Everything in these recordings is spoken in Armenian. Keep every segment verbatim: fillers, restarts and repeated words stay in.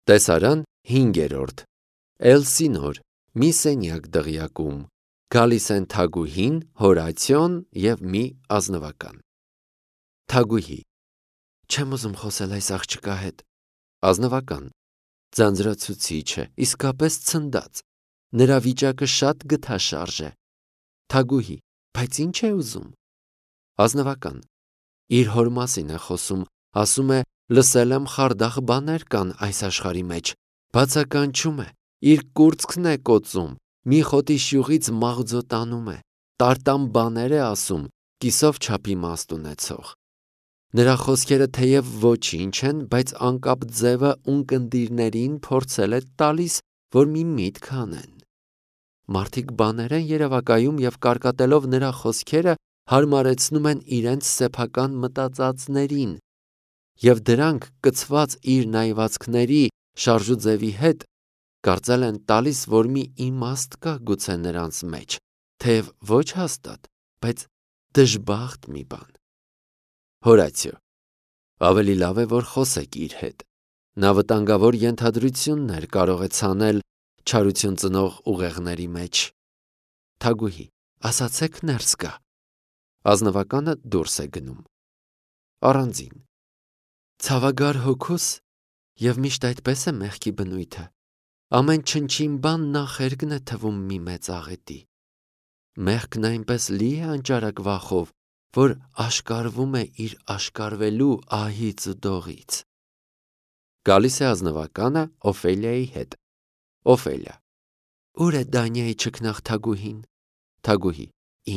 Տեսարան հինգերորդ Էլսինոր մի սենյակ դղյակում գալիս են Թագուհին, Հորացիոն և մի ազնվական։ Թագուհի. Չեմ ուզում խոսել այս աղջկա հետ։ Ազնվական. ձանձրացուցիչ է, իսկապես ցնդած։ Նրա վիճակը շատ գթաշարժ է։ Թագուհի. բայց ինչ է ուզում։ Ազնվական. իր հոր մասին է խոսում, ասում է, լսել եմ խարդախ բաներ կան այս աշխարհի մեջ, բացականչում է, իր կուրծքն է կոծում, մի խոտի շյուղից մաղձո տանում է, տարտամ բաներ է ասում, կիսով չափ իմաստ ունեցող։ Նրա խոսքերը թեև ոչինչ են, բայց անկապ ձևը ունկնդիրներին փորձել է տալիս, որ մի միտք անեն։ Մարդիկ բաներ են երևակայում և կարկատելով նրա խոսքերը հարմարեցնում են իրենց սեփական մտածածներին, և դրանք կցված իր նայվածքների շարժուձևի հետ կարծել են տալիս, որ մի իմաստ կա գուցե նրանց մեջ, թեև ոչ հաստատ, բայց դժբախտ մի բան։ Հորացիո. ավելի լավ է, որ խոսեք իր հետ։ Նա վտանգավոր ենթադրություններ կարող է ցանել չարություն ծնող ուղեղների մեջ։ Թագուհի. ասացեք ներս գա։ Ազնվականը դուրս է գնում։ Առանձին. ցավագար հոգուս և միշտ այդպես է մեղքի բնույթը։ Ամեն չնչին բան նախերգն է թվում մի մեծ աղետի։ Մեղքն այնպես լի է անճարակ վախով, որ աշկարվում է իր աշկարվելու ահից ու դողից։ Գալիս է ազնվականը Օֆելիայի հետ։ Օֆելիա. Ուր է Դանիայի չքնաղ Թագուհին։ Թագուհի.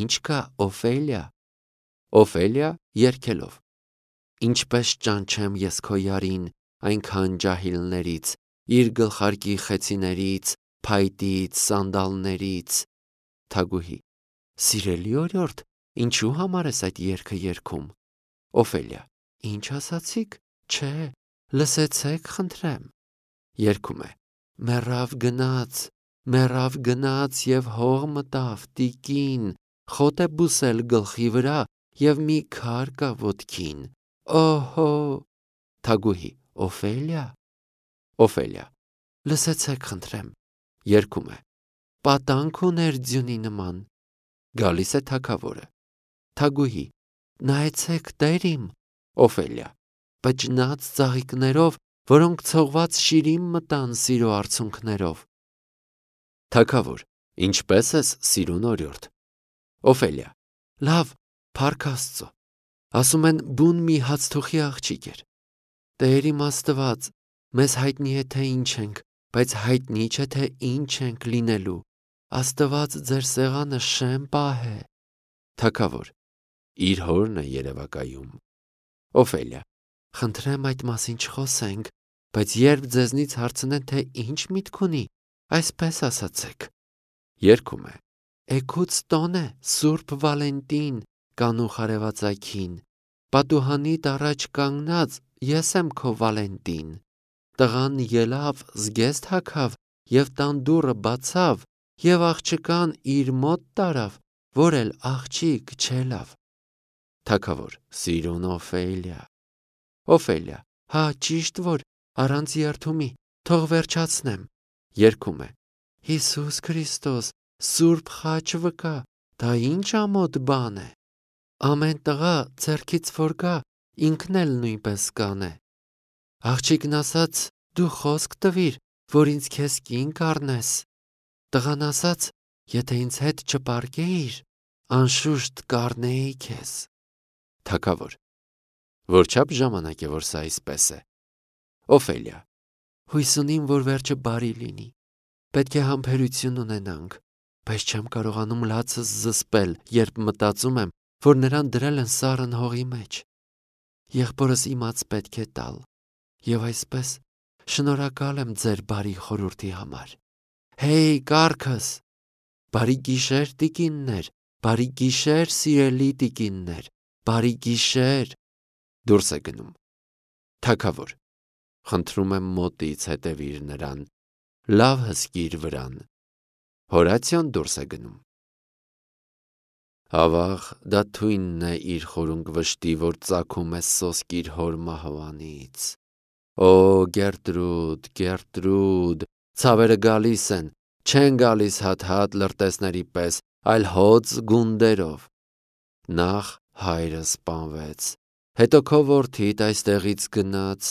ինչ կա, Օֆելիա։ Օֆելիա երգելով. ինչպես ճանչեմ ես քո յարին այնքան ջահիլներից, իր գլխարկի խեցիներից, փայտից, սանդալներից։ Թագուհի. սիրելի օրիորդ, ինչու համար ես այդ երգը երգում։ Օֆելիա. ինչ ասացիք, չէ, լսեցեք խնդրեմ։ Երգում է. մեռավ գնաց, մեռավ գնաց և հող մտավ, տիկին, խոտ է բուսել գլխի վրա և մի քար կա ոտքին։ Օհո։ Թագուհի. Օֆելիա։ Օֆելիա. լսեցեք խնդրեմ։ Երգում է. պատանք ուներ ձյունի նման։ Գալիս է թագավորը։ Թագուհի. նայեցեք տեր իմ։ Օֆելիա. բջնած ծաղիկներով, որոնք ցողված շիրիմ մտան սիրո արցունքներով։ Թագավոր. ինչպե՞ս ես, սիրուն օրիորդ։ Օֆելիա. լավ, փառք Աստծո։ Ասում են բուն մի հացթուխի աղջիկ էր։ Տեր իմ Աստված, մեզ հայտնի է, թե ինչ ենք, բայց հայտնի չէ, թե ինչ ենք լինելու։ Աստված ձեր սեղանը շեմ պահե։ Թագավոր. իր հորն է երևակայում։ Օֆելիա. խնդրեմ այդ մասին չխոսենք, բայց երբ ձեզնից հարցնեն, թե ինչ միտք ունի, այսպես ասացեք։ Երգում է. էգուց տոն է, Սուրբ Վալենտին, կանուխ արևածագին, պատուհանիդ առաջ կանգնած ես եմ քո Վալենտին։ Տղան ելավ, զգեստ հագավ և տան դուռը բացավ, և աղջկան իր մոտ տարավ, որ էլ աղջիկ չելավ։ Թագավոր. սիրուն Օֆելիա։ Օֆելիա. հա, ճիշտ որ, առանց երդումի, թող վերջացնեմ։ Երգում է. Հիսուս Քրիստոս, Սուրբ խաչ վկա, դա ինչ ամոթ բան է։ Ամեն տղա ձեռքից որ գա, ինքն էլ նույնպես կանե։ Աղջիկն ասաց, դու խոսք տվիր, որ ինձ քեզ կին կառնես։ Տղան ասաց, եթե ինձ հետ չպարկեիր, անշուշտ կառնեի քեզ։ Թագավոր. որչափ ժամանակ է, որ սա այսպես է։ Օֆելիա. հույս ունիմ, որ վերջը բարի լինի։ Պետք է համբերություն ունենանք, բայց չեմ կարողանում լացս զսպել, երբ մտածում եմ, որ նրան դրել են սառն հողի մեջ։ Եղբորս իմաց պետք է տալ, և այսպես շնորհակալ եմ ձեր բարի խորհրդի համար։ Հեյ, կառքս, բարի գիշեր, տիկիններ, բարի գիշեր, սիրելի տիկիններ, բարի գիշեր։ Դուրս է գնում։ Թագավոր. խնդրում եմ մոտից հետևիր նրան, լավ հսկիր վրան։ Հորացիոն դուրս է գնում։ Ավաղ, դա թույնն է իր խորունկ վշտի, որ ծագում է սոսկ իր հոր մահվանից։ Օ, Գերտրուդ, Գերտրուդ, ցավերը գալիս են, չեն գալիս հատ-հատ լրտեսների պես, այլ հոծ գունդերով։ Նախ հայրը սպանվեց, հետո քո որդիդ այստեղից գնաց,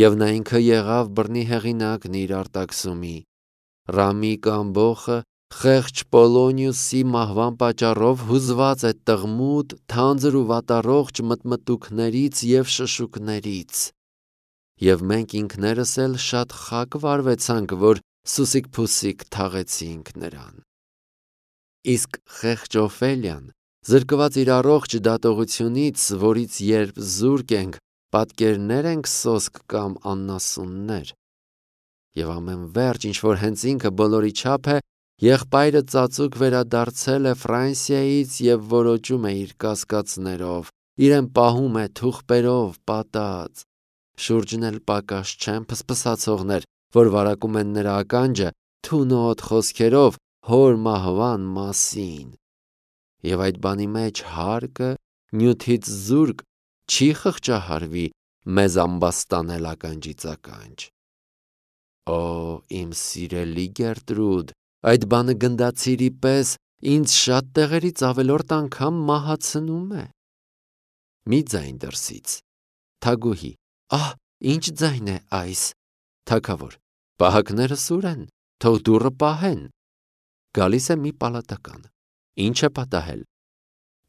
եւ նա ինքը եղավ բռնի հեղինակն իր արտաքսումի։ Ռամիկ ամբոխը խեղճ Պոլոնիուսի մահվան պատճառով հուզված է տղմուտ, թանձր ու վատառողջ մտմտուքներից եւ շշուկներից։ Եւ մենք ինքներս էլ շատ խակ վարվեցանք, որ սուսիկ-փուսիկ թաղեցինք նրան։ Իսկ խեղճ Օֆելիան, զրկված իր առողջ դատողությունից, որից երբ զուրկ ենք, պատկերներ ենք սոսկ կամ աննասուններ։ Եվ ամեն վերջ, ինչ որ հենց ինքը բոլորի չափ է, եղբայրը ծածուկ վերադարձել է Ֆրանսիայից եւ որոճում է իր կասկածներով, իրեն պահում է թուղպերով պատած։ Շուրջն էլ պակաս չեն փսփսացողներ, որ վարակում են նրա ականջը թունոտ խոսքերով հոր մահվան մասին։ Եվ այդ բանի մեջ հարկը նյութից զուրկ չի խղճահարվի մեզ ամբաստանել ականջից ականջ։ Օ, իմ սիրելի Գերտրուդ, այդ բանը գնդացիրի պես ինձ շատ տեղերից ավելորդ անգամ մահացնում է։ Մի ձայն դրսից։ Թագուհի. Ահ, ինչ ձայն է այս։ Թագավոր. Պահակները սուր են, թող դուռը պահեն։ Գալիս է մի պալատական. Ինչ է պատահել։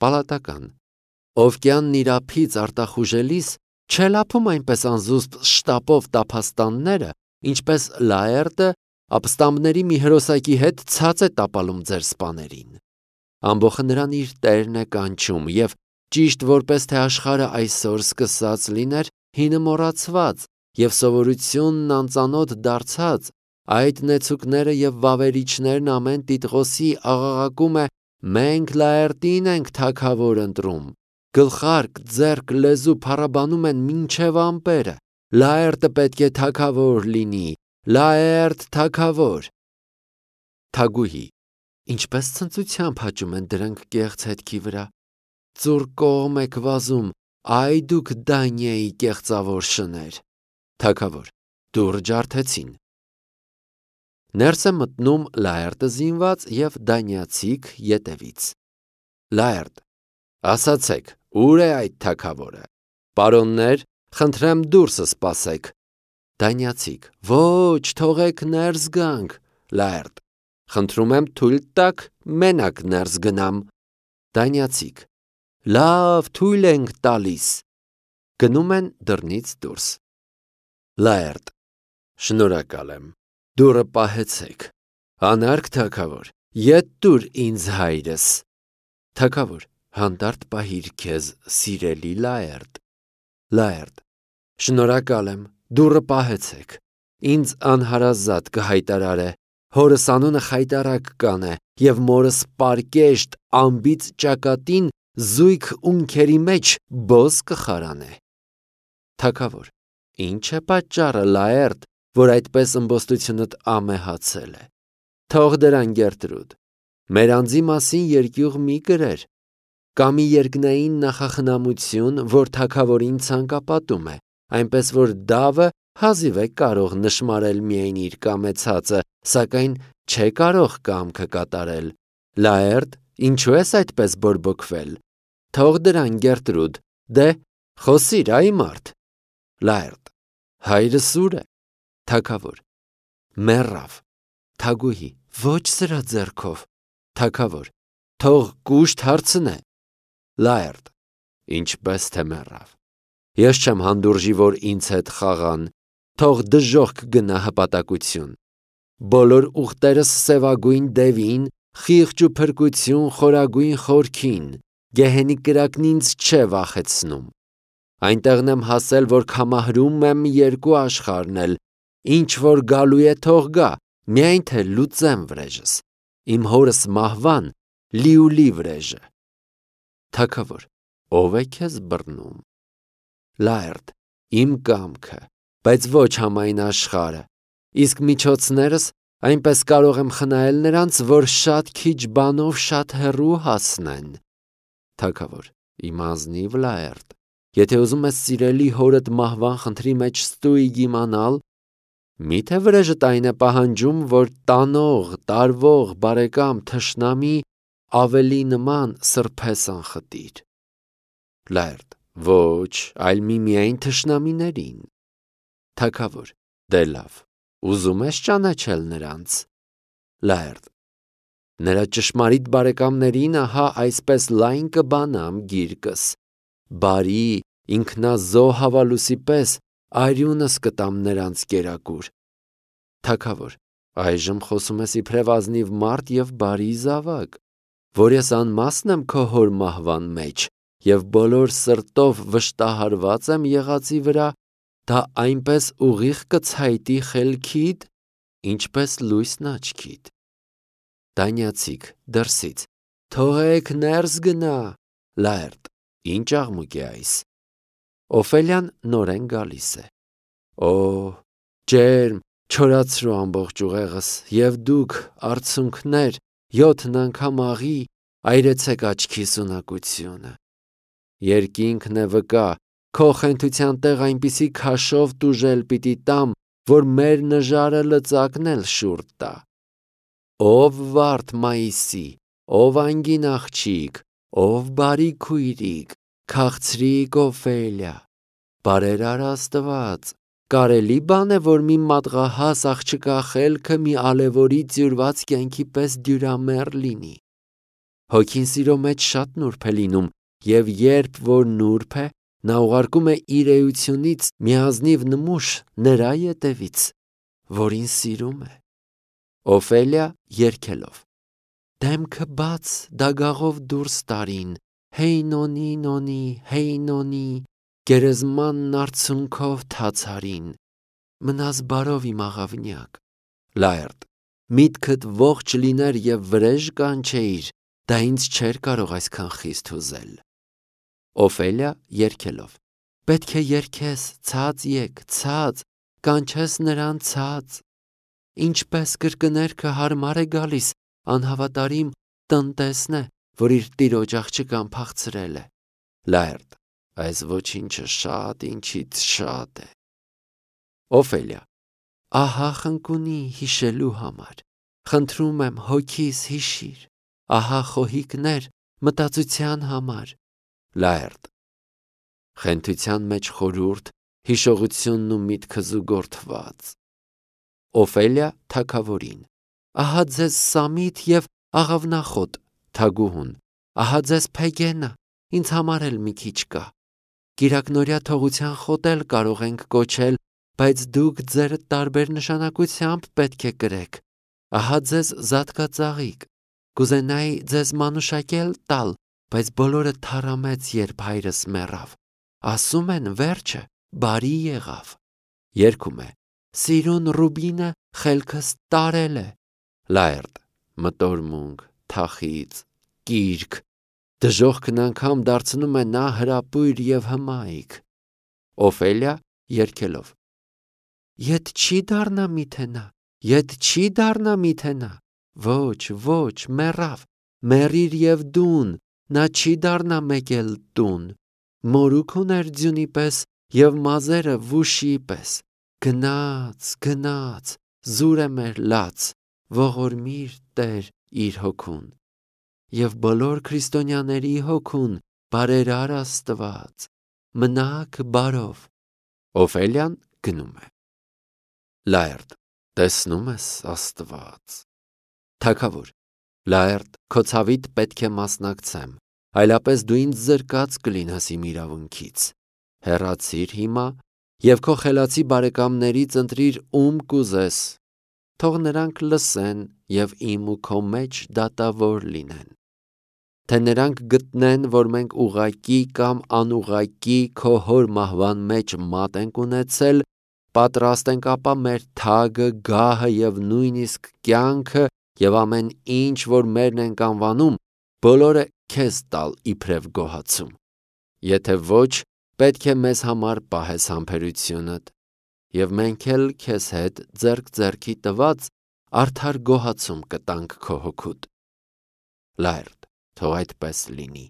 Պալատական. Օվկյանն իր ափից արտախուժելիս չելափում այնպես անզուսպ շտապով տափաստանները, ինչպես Լաերտը ապստամբների մի հրոսակի հետ ցած է տապալում ձեր սպաներին։ Ամբոխը նրան իր տերն է կանչում, եւ ճիշտ որպես թե աշխարհը այսօր սկսած լիներ հինը մոռացված եւ սովորությունն անծանոթ դարձած, այդ նեցուկները եւ վավերիչներն ամեն տիտղոսի աղաղակում է. մենք Լաերտին ենք թագավոր ընտրում, գլխարկ, ձեռք, լեզու փառաբանում են մինչև ամպերը, Լաերտը պետք է թագավոր լինի, Լաերտ թագավոր։ Թագուհի. Ինչպես ցնծությամբ հաճում են դրանք կեղծ հետքի վրա։ Ծուռ կողմ եք վազում, այ դուք Դանիայի կեղծավոր շներ։ Թագավոր. դուռ ջարդեցին։ Ներս է մտնում Լաերտը զինված եւ դանիացիք ետևից։ Լաերտ. ասացեք, ուր է այդ թագավորը։ Պարոններ, խնդրեմ դուրսը սպասեք։ Դանիացիք. ոչ, թողեք ներս գանք։ Լաերտ. խնդրում եմ թույլ տաք, մենակ ներս գնամ։ Դանիացիք. լավ, թույլ ենք տալիս։ Գնում են դռնից դուրս։ Լաերտ. շնորհակալ եմ, դուռը պահեցեք։ Անարգ թագավոր, ետ տուր ինձ հայրս։ Թագավոր. հանդարտ պահիր քեզ, սիրելի Լաերտ։ Լաերտ. շնորհակալ եմ, դուռը պահեցեք։ Ինձ անհարազատ կհայտարար է, հորս անունը խայտարակ կանե եւ մորս պարկեշտ ամբից ճակատին զույգ ունքերի մեջ բոզ կխարանե։ Թագավոր. ինչ է պատճառը, Լաերտ, որ այդպես ըմբոստությունդ ամեհացել է։ Թող դրան, Գերտրուդ, մեր անձի մասին երկյուղ մի գրեր, կա մի երկնային նախախնամություն, որ թագավորին ցանկապատում է, այնպես որ դավը հազիվ է կարող նշմարել միայն իր կամեցածը, սակայն չէ կարող կամքը կատարել։ Լաերտ, ինչու ես այդպես բորբոքվել։ Թող դրան, Գերտրուդ, դե խոսիր, այ մարդ։ Լաերտ. հայրս ուր է։ Թագավոր. մեռավ։ Թագուհի. ոչ սրա ձեռքով։ Թագավոր. թող կուշտ հարցնե։ Լաերտ. ինչպես թե մեռավ։ Ես չեմ հանդուրժի, որ ինձ հետ խաղան, թող դժոխք գնա հպատակություն։ Բոլոր ուխտերս սևագույն դևին, խիղճ ու փրկություն խորագույն խորքին, գեհենի կրակն ինձ չէ վախեցնում։ Այնտեղն եմ հասել, որ կամահրում եմ երկու աշխարհնել, ինչ որ գալու է թող գա, միայն թե լուծեմ վրեժս, իմ հորս մահվան լիուլի վրեժը։ Թագավոր. ով է քեզ բռնում։ Լաերտ. իմ կամքը, բայց ոչ համայն աշխարհը, իսկ միջոցներս այնպես կարող եմ խնայել նրանց, որ շատ քիչ բանով շատ հեռու հասնեն։ Թագավոր. իմ ազնիվ Լաերտ, Եթե ուզում ես սիրելի հորդ մահվան խնդրի մեջ ստույգ իմանալ, միթե վրեժդ այն է պահանջում, որ տանող, տարվող, բարեկամ, թշնամի ավելի նման սրբես անխտիր։ Լայրդ, ոչ, այլ միմիայն թշնամիներին։ Թագավոր, դե լավ, ուզում ես ճանաչել նրանց։ Լայրդ, նրա ճշմարիտ բարեկամներին ահա այսպես լայն կբանամ գիրկս, բարի ինքնազոհ հավալուսի պես արյունս կտամ նրանց կերակուր։ Թագավոր, այժմ խոսում ես իբրև ազնիվ մարդ և բարի զավակ, որ ես անմասն եմ քո հոր մահվան մեջ և բոլոր սրտով վշտահարված եմ եղածի վրա, դա այնպես ուղիղ կցայտի խելքիդ, ինչպես լույսն աչքիդ։ Դանյացիք դրսից, թողեք ներս գնա։ Լայրդ, ինչ աղմուկ է այս։ Օֆելիան նորեն գալիս է։ Օ, ջերմ, չորացրու ամբողջ ուղեղս, և դուք, արցունքներ, յոթն անգամ աղի, այրեցեք աչքիս ունակությունը։ Երկինքն է վկա, քո խենթության տեղ այնպիսի քաշով տուժել պիտի տամ, որ մեր նժարը լծակն էլ շուռ տա։ Ով վարդ Մայիսի, ով անգին աղջիկ, ով բարի քույրիկ, քաղցրիկ Օֆելիա, բարերար Աստված, կարելի բան է, որ մի մատղահաս աղջկա խելքը մի ալևորի ձյուրված կյանքի պես դյուրամեռ լինի։ Հոգին սիրո մեջ շատ նուրբ է լինում, և երբ որ նուրբ է, նա ուղարկում է իր էությունից մի ազնիվ նմուշ նրա ետևից, որին սիրում է։ Օֆելիա երգելով. Դեմքը բաց դագաղով դուրս տարին, հեյ նոնի նոնի, հեյ նոնի, գերեզմանն արցունքով թացարին, մնաս բարով իմ աղավնյակ։ Լայրդ, միտքդ ողջ լիներ և վրեժ կանչեիր, դա ինձ չէր կարող այսքան խիստ հուզել։ Օֆելիա երգելով. Պետք է երգես, ցած եկ, ցած, կանչես նրան ցած։ Ինչպես կրկներքը հարմար է գալիս, անհավատարիմ տնտեսն է, որ իր տիրոջ աղջկան փախցրել է։ Լայրդ, այս ոչինչը շատ ինչից շատ է։ Օֆելիա. Ահա խնկունի հիշելու համար, խնդրում եմ հոգիս հիշիր, ահա խոհիկներ մտածության համար։ Լայրդ. խենթության մեջ խորուրդ, հիշողությունն ու միտքը զուգորդված։ Օֆելիա թագավորին. Ահա ձեզ Սամիթ և աղավնախոտ, թագուհուն, ահա ձեզ Փեգենա, ինձ համար էլ մի քիչ կա։ Կիրակնօրյա թողության խոտ էլ կարող ենք կոչել, բայց դուք ձերդ տարբեր նշանակությամբ պետք է կրեք։ Ահա ձեզ զատկածաղիկ, կուզենայի ձեզ մանուշակել տալ, բայց բոլորը թառամեց, երբ հայրս մեռավ։ Ասում են վերջը բարի եղավ։ Երգում է. Սիրուն Ռուբինը խելքս տարել է։ Լայրդ, մտորմունք, թախիծ, կիրք, դժոխքն անգամ դարձնում է նա հրապույր և հմայք։ Օֆելիա երգելով. Ետ չի դառնա միթե նա, ետ չի դառնա միթե նա, ոչ, ոչ, մեռավ, մեռիր և դուն, նա չի դառնա մեկ էլ տուն, մորուք ուներ ձյունի պես և մազերը վուշի պես, գնաց, գնաց, զուր է մեր լաց, ողորմիր Տեր իր հոգուն, և բոլոր քրիստոնյաների հոգուն բարերար Աստված, մնաք բարով։ Օֆելիան գնում է։ Լայրդ, տեսնում ես Աստված։ Թագավոր, Լայրդ, քո ցավիդ պետք է մասնակցեմ, այլապես դու ինձ զրկած կլինես իմ իրավունքից։ Հեռացիր հիմա և քո խելացի բարեկամներից ընտրիր ում կուզես, թող նրանք լսեն և իմ ու քո մեջ դատավոր լինեն։ Թե նրանք գտնեն, որ մենք ուղղակի կամ անուղղակի քո հոր մահվան մեջ մատ ենք ունեցել, պատրաստ ենք ապա մեր թագը, գահը և նույնիսկ կյանքը և ամեն ինչ, որ մերն ենք անվանում, բոլորը քեզ տալ իբրև գոհացում։ Եթե ոչ, պետք է մեզ համար պահես համբերությունդ, և մենք էլ քեզ հետ ձեռք ձեռքի տված արդար գոհացում կտանք քո հոգուդ։ Լայրդ, թող այդպես լինի։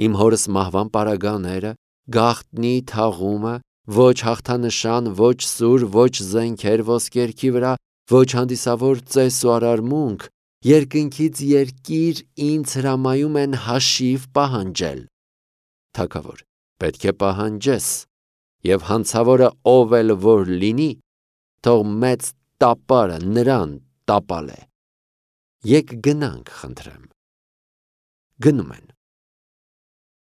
Իմ հորս մահվան պարագաները, գաղտնի թաղումը, ոչ հաղթանշան, ոչ սուր, ոչ զենքեր ոսկերքի վրա, ոչ հանդիսավոր ծես ու արարմունք, երկնքից երկիր ինձ հրամայում են հաշիվ պահանջել։ Թագավոր, պետք է պահանջես, և հանցավորը ով էլ որ լինի, թող մեծ տապարը նրան տապալե։ Եկ գնանք, խնդրեմ։ Գնում են։